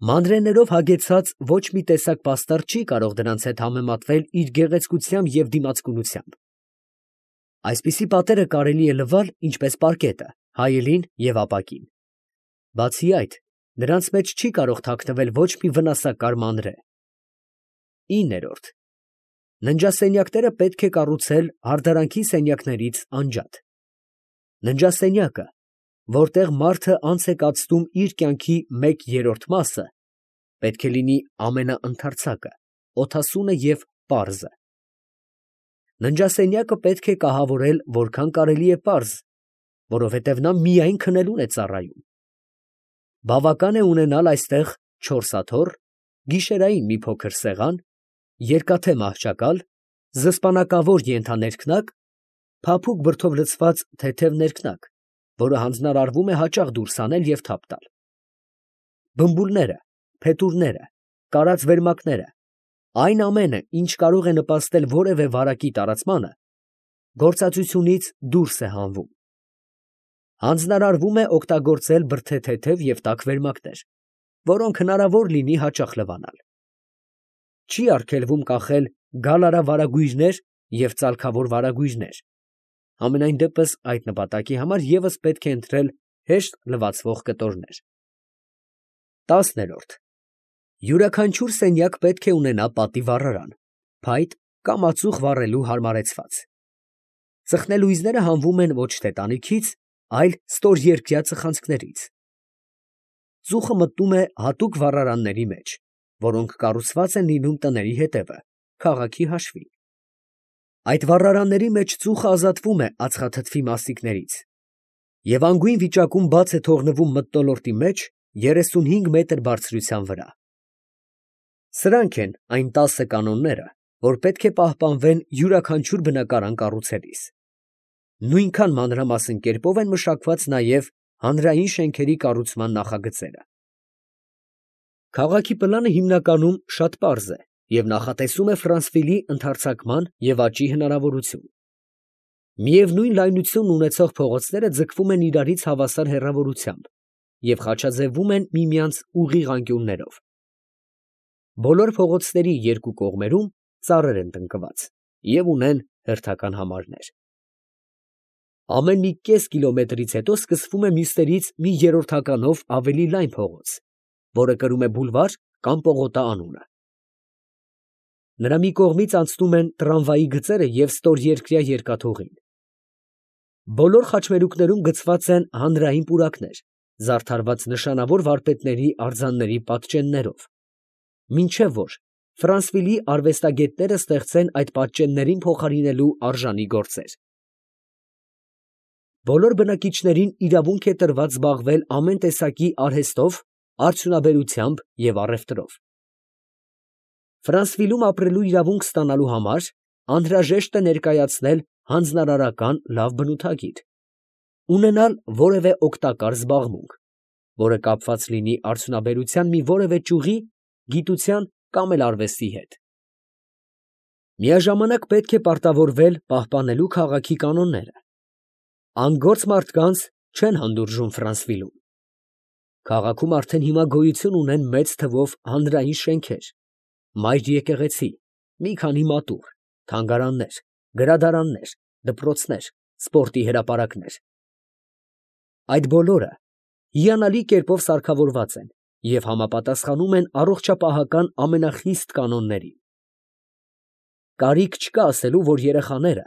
Մանրէներով հագեցած ոչ մի տեսակ պաստառ չի կարող դրանց հետ համեմատվել իր գեղեցկությամբ և դիմացկունությամբ։ Այսպիսի պատերը կարելի է լվալ ինչպես պարկետը, հայելին և ապակին։ Բացի այդ, նրանց մեջ չի կարող թաքնվել ոչ մի վնասակար մանրէ։ 9. Ննջասենյակները պետք է կառուցել հարդարանքի սենյակներից անջատ։ Ննջասենյակը, որտեղ մարդը անց է կացնում իր կյանքի 1/3 մասը, պետք է լինի ամենաընդարձակը, օդասունը և պարզը։ Ննջասենյակը պետք է կահավորել որքան կարելի է պարզ, որովհետև նա միայն քնելուն է ծառայում։ Բավական է ունենալ այստեղ 4 աթոռ, գիշերային մի փոքր սեղան, երկաթե մահճակալ, զսպանակավոր ենթաներքնակ, փափուկ բրդով լցված թեթև ներքնակ, որը հանձնարարվում է հաճախ դուրս անել և թափ տալ։ Բմբուլները, փետուրները, կարած վերմակները, այն ամենը, ինչ կարող է նպաստել որևէ վարակի տարածմանը, գործածությունից դուրս է հանվում։ Հանձնարարվում է օգտագործել բրդեթեթև և տաք վերմակներ, որոնք հնարավոր լինի հաճախ լվանալ։ Չի արգելվում կախել գալարավարագույրներ և ծալքավոր վարագույրներ, համենայն դեպս այդ նպատակի համար ևս պետք է ընտրել հեշտ լվացվող կտորներ։ 10. Յուրաքանչյուր սենյակ պետք է ունենա պատի վառարան, փայտ կամ ածուխ վառելու հարմարեցված։ Ծխնելույզները հանվում են ոչ թե տանիքից, այլ ստորերկրյա ծխանցքներից։ Ծուխը մտնում է հատուկ վառարանների մեջ, որոնք կառուցված են լինում տների հետևը, քաղաքի հաշվին։ Այդ վառարանների մեջ ծուխը ազատվում է ածխաթթվի մասիկներից և անգույն վիճակում բաց է թողնվում մթնոլորտի մեջ 35 մետր բարձրության վրա։ Սրանք են այն 10 կանոնները, որ պետք է պահպանվեն յուրաքանչյուր բնակարան կառուցելիս։ Նույնքան մանրամասն կերպով են մշակված նաև հանրային շենքերի կառուցման նախագծերը։ Քաղաքի պլանը հիմնականում շատ պարզ է և նախատեսում է Ֆրանսվիլի ընդարձակման և աճի հնարավորություն։ Միևնույն լայնություն ունեցող փողոցները ձգվում են իրարից հավասար հեռավորությամբ և խաչաձևվում են միմյանց ուղիղ անկյուններով։ Բոլոր փողոցների երկու կողմերում ծառեր են տնկված և ունեն հերթական համարներ։ Ամեն մի կես կիլոմետրից հետո սկսվում է մյուսներից մի երրորդականով ավելի լայն փողոց, որը կրում է բուլվար կամ պողոտա անունը։ Նրա մի կողմից անցնում են տրամվայի գծերը և ստորերկրյա երկաթուղին։ Բոլոր խաչմերուկներում գծված են հանրային պուրակներ, զարդարված նշանավոր վարպետների արձանների պատճեններով, մինչև որ Ֆրանսվիլի արվեստագետները ստեղծեն այդ պատճեններին փոխարինելու արժանի գործեր։ Բոլոր բնակիչներին իրավունք է տրված զբաղվել ամեն տեսակի արհեստով, արդյունաբերությամբ և առևտրով։ Ֆրանսվիլում ապրելու իրավունք ստանալու համար անհրաժեշտ է ներկայացնել հանձնարարական լավ բնութագիր, ունենալ որևէ օգտակար զբաղմունք, որը կապված լինի արդյունաբերության մի որևէ ճյուղի, գիտության կամ էլ արվեստի հետ։ Միաժամանակ պետք է պարտավորվել պահպանելու քաղաքի կանոնները։ Անգործ մարդկանց չեն հանդուրժում Ֆրանսվիլում։ Քաղաքում արդեն հիմա գոյություն ունեն մեծ թվով հանրային շենքեր, մայր եկեղեցի, մի քանի մատուռ, թանգարաններ, գրադարաններ, դպրոցներ, սպորտի հրապարակներ։ Այդ բոլորը հիանալի կերպով սարքավորված են և համապատասխանում են առողջապահական ամենախիստ կանոններին։ Կարիք չկա ասելու, որ երեխաները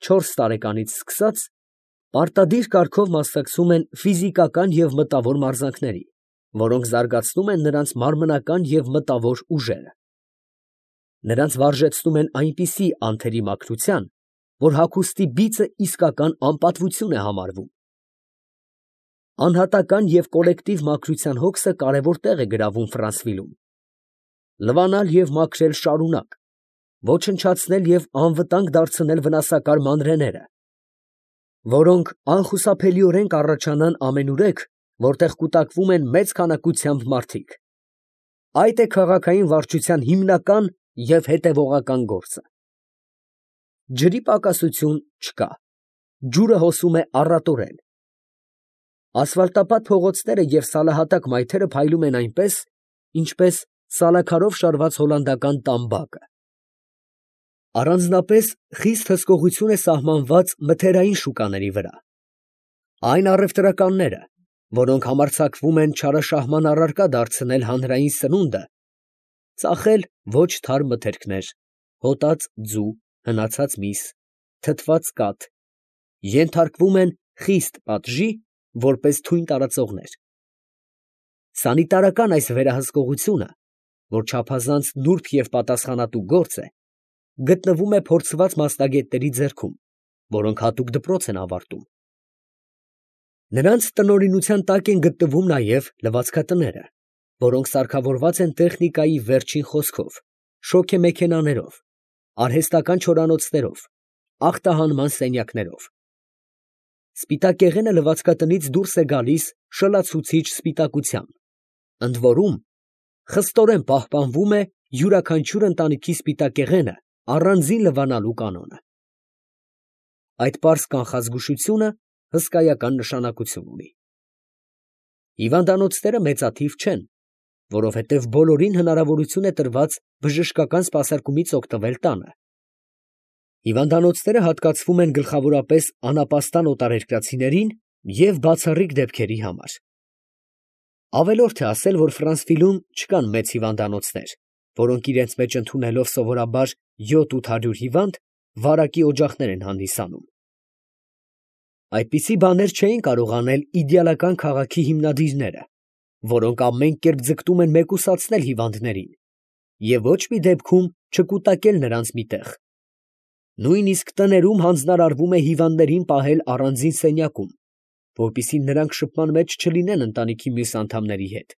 4 տարեկանից սկսած պարտադիր կարգով մասնակցում են ֆիզիկական և մտավոր մարզանքների, որոնք զարգացնում են նրանց մարմնական և մտավոր ուժերը։ Նրանց վարժեցնում են այնպիսի անթերի մաքրության, որ հագուստի բիծը իսկական անպատվություն է համարվում։ Անհատական և կոլեկտիվ մաքրության հոգսը կարևոր տեղ է գրավում Ֆրանսվիլում։ Լվանալ և մաքրել շարունակ, ոչնչացնել և անվտանգ դարձնել վնասակար մանրէները, որոնք անխուսափելիորեն կառաջանան ամենուրեք, որտեղ կուտակվում են մեծ քանակությամբ մարդիկ։ Այդ է քաղաքային վարչության հիմնական և հետևողական գործը։ Ջրի պակասություն չկա, ջուրը հոսում է առատորեն։ Ասֆալտապատ փողոցները և սալահատակ մայթերը փայլում են այնպես, ինչպես սալաքարով շարված հոլանդական տամբակը։ Առանձնապես խիստ հսկողություն է սահմանված մթերային շուկաների վրա։ Այն առևտրականները, որոնք համարձակվում են չարաշահման առարկա դարձնել հանրային սնունդը, ծախել ոչ թարմ մթերքներ, հոտած ձու, հնացած միս, թթված կաթ, ենթարկվում են խիստ պատժի, որպես թույն տարածողներ։ Սանիտարական այս վերահսկողությունը, որ չափազանց նուրբ և պատասխանատու գործ է, գտնվում է փորձված մասնագետների ձեռքում, որոնք հատուկ դպրոց են ավարտում։ Նրանց տնօրինության տակ են գտնվում նաև լվացքատները, որոնք սարքավորված են տեխնիկայի վերջին խոսքով, շոգեմեքենաներով, արհեստական չորանոցներով, ախտահանման սենյակներով։ Սպիտակեղենը լվացքատնից դուրս է գալիս շլացուցիչ սպիտակությամբ, ընդ որում խստորեն պահպանվում է յուրաքանչյուր ընտանիքի սպիտակեղենը առանձին լվանալու կանոնը։ Այդ պարզ կանխազգուշությունը հսկայական նշանակություն ունի։ Հիվանդանոցները մեծաթիվ չեն, որովհետև բոլորին հնարավորություն է տրված բժշկական սպասարկումից օգտվել տանը։ Հիվանդանոցները հատկացվում են գլխավորապես անապաստան օտարերկրացիներին և բացառիկ դեպքերի համար։ Ավելորդ է ասել, որ Ֆրանսվիլում չկան մեծ հիվանդանոցներ, որոնք իրենց մեջ ընդունելով սովորաբար 700-800 հիվանդ, վարակի օջախներ են հանդիսանում։ Այդպիսի բաներ չէին կարող անել իդեալական քաղաքի հիմնադիրները, որոնք ամեն կերպ ձգտում են մեկուսացնել հիվանդներին և ոչ մի դեպքում չկուտակել նրանց մի տեղ։ Նույնիսկ տներում հանձնարարվում է հիվանդներին պահել առանձին սենյակում, որպեսզի նրանք շփման մեջ չլինեն ընտանիքի մյուս անդամների հետ։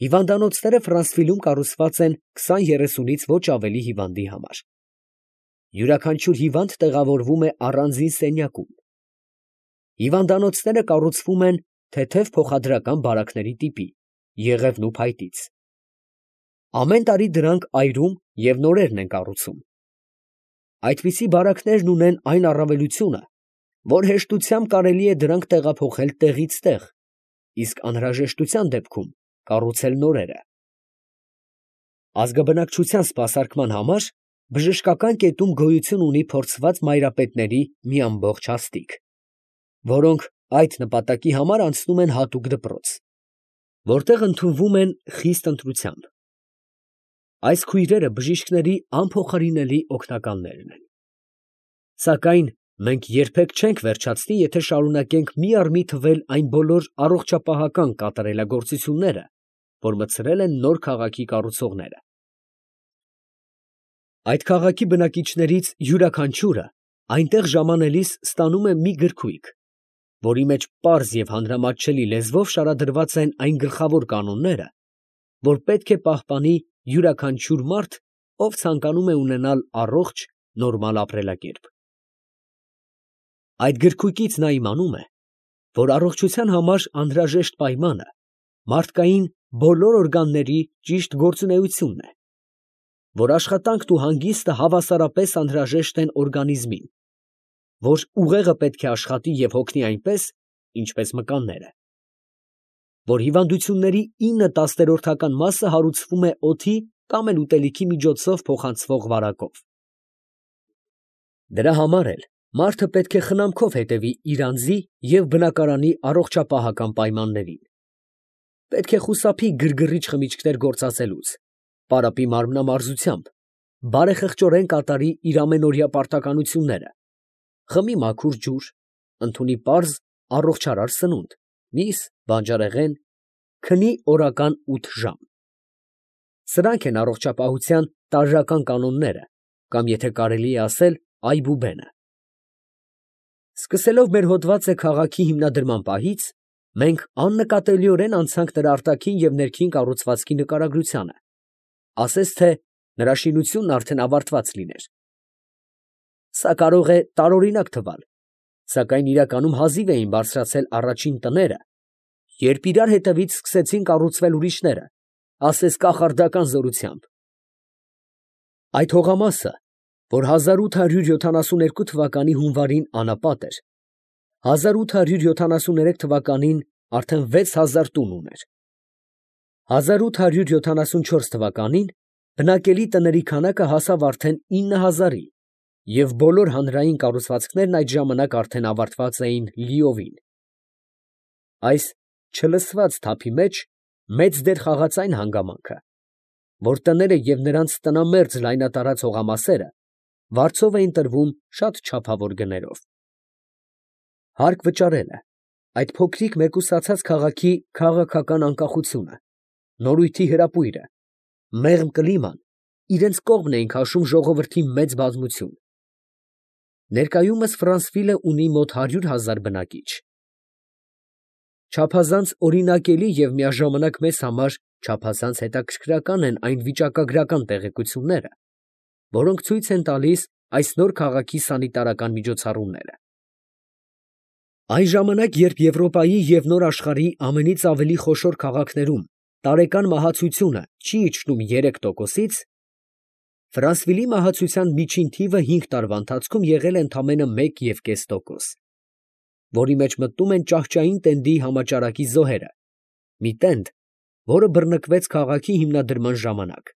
Հիվանդանոցները Ֆրանսվիլում կառուցված են 20-30-ից ոչ ավելի հիվանդի համար։ Յուրաքանչյուր հիվանդ տեղավորվում է առանձին սենյակում։ Հիվանդանոցները կառուցվում են թեթև փոխադրական բարակների տիպի, եղևնու փայտից։ Ամեն տարի դրանք այրում և նորերն են կառուցում։ Այդպիսի բարակներն ունեն այն առավելությունը, որ հեշտությամբ կարելի է դրանք տեղափոխել տեղից տեղ, իսկ անհրաժեշտության դեպքում կառուցել նորերը։ Ազգաբնակչության սպասարկման համար բժշկական կետում գոյություն ունի փորձված մայրապետների մի ամբողջ հաստիք, որոնք այդ նպատակի համար անցնում են հատուկ դպրոց, որտեղ ընդունվում են խիստ ընտրությամբ։ Այս քույրերը բժիշկների անփոխարինելի օգնականներն են։ Սակայն մենք երբեք չենք վերջացնի, եթե շարունակենք մի առ մի թվել այն բոլոր առողջապահական կատարելագործությունները, որ մտցրել են նոր քաղաքի կառուցողները։ Այդ քաղաքի բնակիչներից յուրաքանչյուրը այնտեղ ժամանելիս ստանում է մի գրքույկ, որի մեջ պարզ և հանրամատչելի լեզվով շարադրված են այն գլխավոր կանոնները, որ պետք է պահպանի յուրաքանչյուր մարդ, ով ցանկանում է ունենալ առողջ, նորմալ ապրելակերպ։ Այդ գրքույկից նա իմանում է, որ առողջության համար անհրաժեշտ պայմանը մարդկային բոլոր օրգանների ճիշտ գործունեությունն է, որ աշխատանքն ու հանգիստը հավասարապես անհրաժեշտ են օրգանիզմին, որ ուղեղը պետք է աշխատի և հոգնի այնպես, ինչպես մկանները, որ հիվանդությունների 9/10 մասը հարուցվում է օդի կամ էլ ուտելիքի միջոցով փոխանցվող վարակով։ Դրա համար էլ մարդը պետք է խնամքով հետևի իր անձի և բնակարանի առողջապահական պայմաններին։ Պետք է խուսափի գրգռիչ խմիչքներ գործածելուց, պարապի մարմնամարզությամբ, բարեխղճորեն կատարի իր ամենօրյա պարտականությունները, խմի մաքուր ջուր, ընդունի պարզ, առողջարար սնունդ, միս, բանջարեղեն, քնի օրական 8 ժամ։ Սրանք են առողջապահության տարրական կանոնները, կամ եթե կարելի է ասել, այբուբենը։ Սկսելով մեր հոդվածը քաղաքի հիմնադրման պահից, մենք աննկատելիորեն անցանք նրա արտաքին և ներքին կառուցվածքի նկարագրությանը, ասես թե նրա շինությունն արդեն ավարտված լիներ։ Սա կարող է տարօրինակ թվալ, սակայն իրականում հազիվ էին բարձրացել առաջին տները, երբ իրար հետևից սկսեցին կառուցվել ուրիշները, ասես կախարդական զորությամբ։ Այդ հողամասը, որ 1872 թվականի հունվարին անապատ էր, 1873 թվականին արդեն 6000 տուն ուներ։ 1874 թվականին բնակելի տների քանակը հասավ արդեն 9000-ի և բոլոր հանրային կառուցվածքներն այդ ժամանակ արդեն ավարտված էին լիովին։ Այս չլսված թափի մեջ մեծ դեր խաղաց այն հանգամանքը, որ տները և նրանց տնամերձ լայնատարած հողամասերը վարձով էին տրվում շատ չափավոր գներով։ Հարկ վճարելը, այդ փոքրիկ մեկուսացած քաղաքի քաղաքական անկախությունը, նորույթի հրապույրը, մեղմ կլիման իրենց կողմն էին քաշում ժողովրդի մեծ բազմություն։ Ներկայումս Ֆրանսվիլը ունի մոտ 100,000 բնակիչ։ Չափազանց օրինակելի և միաժամանակ մեզ համար չափազանց հետաքրքրական են այն վիճակագրական տեղեկությունները, որոնք ցույց են տալիս այս նոր քաղաքի սանիտարական միջոցառումները։ Այն ժամանակ, երբ Եվրոպայի և Նոր աշխարհի ամենից ավելի խոշոր քաղաքներում տարեկան մահացությունը չի իջնում 3%-ից, Ֆրանսվիլի մահացության միջին թիվը 5 տարվա ընթացքում եղել է ընդամենը 1,5%, որի մեջ մտնում են ճահճային տենդի համաճարակի զոհերը, մի տենդ, որը բռնկվեց քաղաքի հիմնադրման ժամանակ։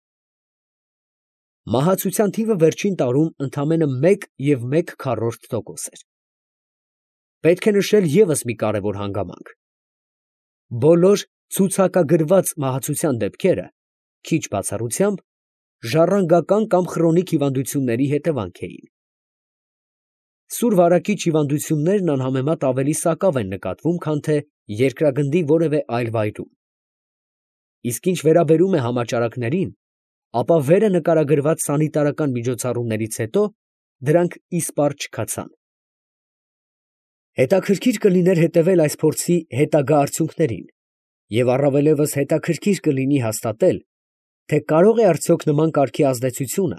Մահացության թիվը վերջին տարում ընդամենը 1,1% էր։ Պետք է նշել ևս մի կարևոր հանգամանք. բոլոր ցուցակագրված մահացության դեպքերը, քիչ բացառությամբ, ժառանգական կամ խրոնիկ հիվանդությունների հետևանք էին։ Սուր վարակիչ հիվանդություններն անհամեմատ ավելի սակավ են նկատվում, քան թե երկրագնդի որևէ այլ վայրում։ Իսկ ինչ վերաբերում է համաճարակներին, ապա վերը նկարագրված սանիտարական միջոցառումներից հետո դրանք իսպառ չքացան։ Հետաքրքիր կլիներ հետևել այս փորձի հետագա արդյունքներին և առավելևս հետաքրքիր կլինի հաստատել, թե կարող է արդյոք նման կարգի ազդեցությունը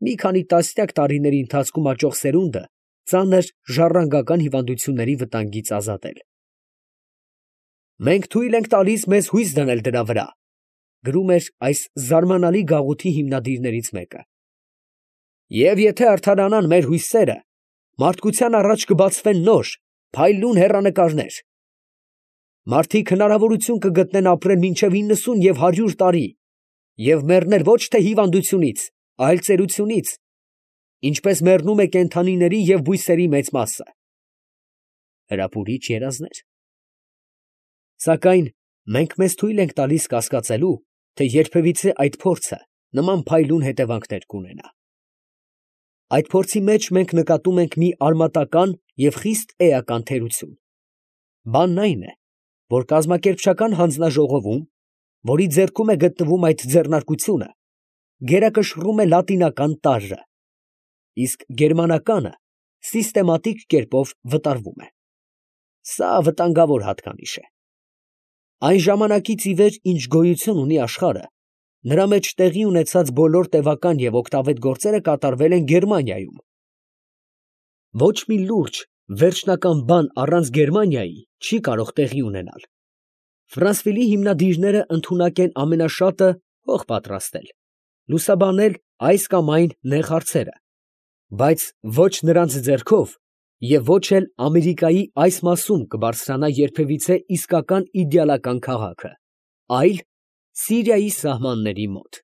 մի քանի տասնյակ տարիների ընթացքում աճող սերունդը ծանր ժառանգական հիվանդությունների վտանգից ազատել։ «Մենք թույլ ենք տալիս մեզ հույս դնել դրա վրա», գրում էր այս զարմանալի գաղութի հիմնադիրներից մեկը։ «Եվ եթե արդարանան մեր հույսերը, մարդկության առաջ կբացվեն նոր, փայլուն հեռանկարներ. մարդիկ հնարավորություն կգտնեն ապրել մինչև 90 և 100 տարի և մեռնել ոչ թե հիվանդությունից, այլ ծերությունից, ինչպես մեռնում է կենդանիների և բույսերի մեծ մասը»։ Հրապուրիչ երազներ։ Սակայն մենք մեզ թույլ ենք տալիս կասկածելու, թե երբևիցե այդ փորձը նման փայլուն հետևանքներ կունենա։ Այդ փորձի մեջ մենք նկատում ենք մի արմատական և խիստ էական թերություն։ Բանն այն է, որ կազմակերպչական հանձնաժողովում, որի ձեռքում է գտնվում այդ ձեռնարկությունը, գերակշռում է լատինական տառը, իսկ գերմանականը սիստեմատիկ կերպով վտարվում է։ Սա վտանգավոր հատկանիշ է։ Այն ժամանակից ի վեր, ինչ գոյություն ունի աշխարհը, նրա մեջ տեղի ունեցած բոլոր տևական և օգտավետ գործերը կատարվել են Գերմանիայում։ Ոչ մի լուրջ, վերջնական բան առանց Գերմանիայի չի կարող տեղի ունենալ։ Ֆրանսվիլի հիմնադիրները ընդունակ են ամենաշատը հող պատրաստել, լուսաբանել այս կամ այն նեղ հարցերը, բայց ոչ նրանց ձեռքով և ոչ էլ Ամերիկայի այս մասում կբարձրանա երբևիցե իսկական իդեալական քաղաքը, այլ Սիրիայի սահմանների մոտ։